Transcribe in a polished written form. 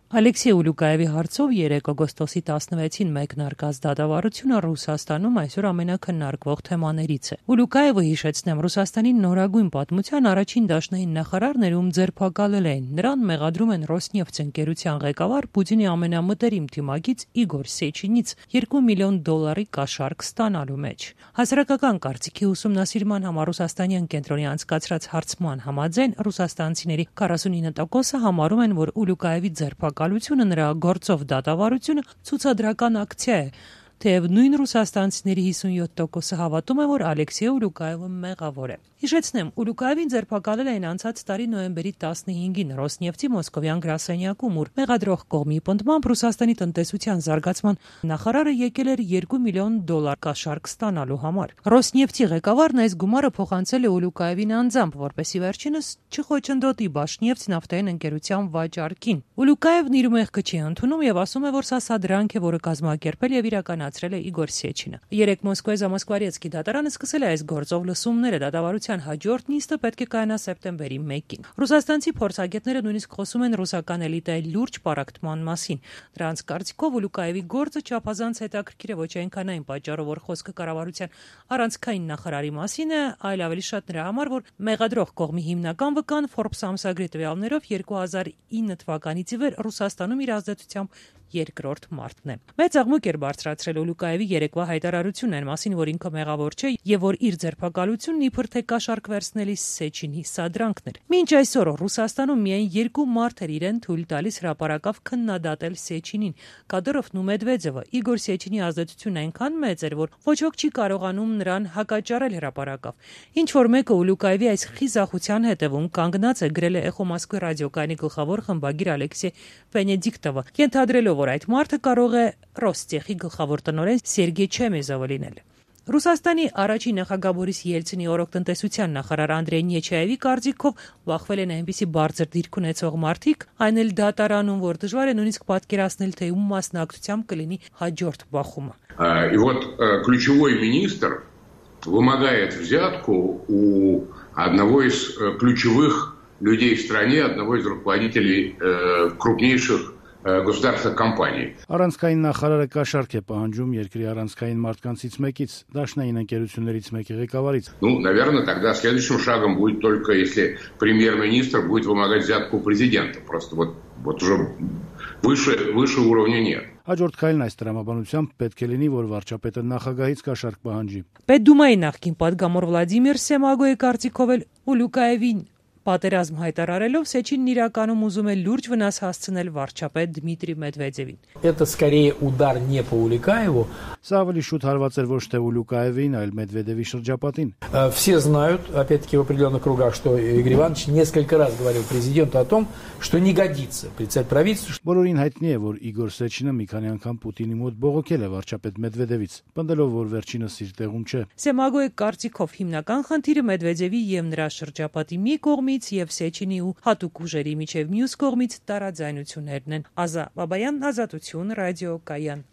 Ալեքսեյ Ուլուկաևի հարցով 3 օգոստոսի 16-ին մեկնարկած դատավարությունը Ռուսաստանում այսօր ամենակննարկվող թեմաներից է։ Ուլուկաևը, հիշեցնեմ, Ռուսաստանի նորագույն պատմության առաջին դաշնային նախարարն էր, ում ձերբակալել էին։ Նրան մեղադրում են Ռոսնեֆթ ընկերության ղեկավար Պուտինի ամենամտերիմ թիմակից Իգոր Սեչինից $2 միլիոն կաշառք ստանալու մեջ։ Հասարակական կարծիքի ուսումնասիրման համար Ռուսաստանյան կենտրոնի անցկացրած հարցման համաձայն ռուսաստանցիների 49%-ը համարում են, որ Ուլուկաևի ձերբակալությունը նրա գործով դատավարությունը ցուցադրական ակցիա է, թեև նույն ռուսաստանցիների 57%-ը հավատում է, որ Ալեքսեյ Ուլուկաևը մեղավոր է։ Հիշեցնեմ, Ուլուկաևին ձերբակալել էին անցած տարի նոյեմբերի 15-ին Ռոսնեֆթի մոսկովյան գրասենյակում, ուր մեղադրող կողմի պնդմամբ Ռուսաստանի տնտեսության զարգացման նախարարը եկել էր $2 միլիոն կաշառք ստանալու համար։ Ռոսնեֆթի ղեկավարն այս գումարը փոխանցել է Ուլուկաևին անձամբ, որպեսզի վերջինս չխոչընդոտի Բաշնեֆթ նավթային ընկերության վաճառքին։ Ուլուկաևն իր մեղքը չի ընդունում եւ ասում է, որ սա սադրանք է, որը կազմակերպել եւ իրականացրել է Իգոր Սեչինը։ Երեկ Մոսկվայի Զամոսկվարիեցկի դատարանը սկսել է այս գործով լսումները, դատավարության հաջորդ նիստը պետք է կայանա սեպտեմբերի 1-ին։ Ռուսաստանցի փորձագետները նույնիսկ խոսում են ռուսական էլիտայի լուրջ պառակտման մասին։ Դրանց կարծիքով Ուլուկաևի գործը չափազանց հետաքրքիր է ոչ այնքան այն պատճառով, որ խոսքը կառավարության առանցքային նախարարի մասին է, այլ ավելի շատ նրա համար, որ մեղադրող կողմի հիմնական վկան Forbes ամսագրի տվյալներով 2009 թվականից ի վեր Ռուսաստանում իր ազդեցությամբ երկրորդ մարդն է։ Մեծ աղմուկ էր բարձրացրել Ուլուկաևի երեկվա հայտարարությունն այն մասին, որ ինքը մեղավոր չէ եւ որ իր ձերբակալությունն իբր թե կաշառք վերցնելի Սեչինի սադրանքն էր։ Մինչ այսօր Ռուսաստանում միայն 2 մարդ էր իրեն թույլ տալիս հրապարակավ քննադատել Սեչինին՝ Կադyrովն ու Մեդվեդևը։ Իգոր Սեչինի ազդեցությունն այնքան մեծ էր, որ ոչ ոք չի կարողանում նրան հակաճառել հրապարակավ։ Ինչ որ մեկը Ուլուկաևի այս խիզախության հետևում կանգնած է, գրել է Էխո Մոսկվի ռադիոկայանի գլխավոր խմբագիր Ալեքսեյ Վենեդիկտովը, ենթադրելով, որ այդ մարդը կարող է Ռոստեխի գլխավոր տնօրեն Սերգեյ Չեմեզովը լինել։ Ռուսաստանի առաջին նախագահ Բորիս Ելցինի օրոք-տնտեսության նախարար Անդրեյ Նեչայևի կարծիքով վախվել են այնպիսի բարձր դիրք ունեցող մարդիկ, այն էլ դատարանում, որ դժվար է նույնիսկ պատկերացնել, թե ում մասնակցությամբ կլինի հաջորդ բախումը։ И вот ключевой министр вымогает взятку у одного из ключевых людей в стране, одного из руководителей крупнейших государственных компаний. Առանցքային նախարարը կաշառք է պահանջում երկրի առանցքային մարդկանցից мեկից, դաշնային ընկերություններից մեկի ղեկավարից։ Ну, наверное, тогда следующим шагом будет только если премьер-министр будет вымогать взятку у президента. Просто вот уже выше уровня нет. Հաջորդ քայլն այս տրամաբանությամբ պետք է լինի, որ վարչապետը նախագահից կաշառք պահանջի։ Պետդումայի նախկին պատգամավոր Վլադիմիր Սեմագոյի կարծիքով էլ Ուլուկաևին պատերազմ հայտարարելով Սեչինն իրականում ուզում է լուրջ վնաս հասցնել վարչապետ Դմիտրի Մեդվեդևին։ Это скорее удар не по Улюкаеву. Սա ավելի շուտ հարված էր ոչ թե Ուլուկաևին, այլ Մեդվեդևի шրջապատին։ Все знают, опять-таки в определенных кругах, что Игорь Иванович несколько раз говорил президенту о том, что не годится председатель правительства. Բոլորին հայտնի է, որ Իգոր Սեչինը մի քանի անգամ Պուտինի մոտ բողոքել է վարչապետ Մեդվեդևից, պնդելով, որ վերջինս իր տեղում չէ։ Սեմագոյի կարծիքով հիմնական խնդիրը Մեդվեդևի եւ նրա շրջապատի մի կողմից եւ Սեչինի ու հատուկ ուժերի միջև մյուս կողմից տարաձայնություններն են։ Ազա Բաբայան, Ազատություն, ռադիոկայան։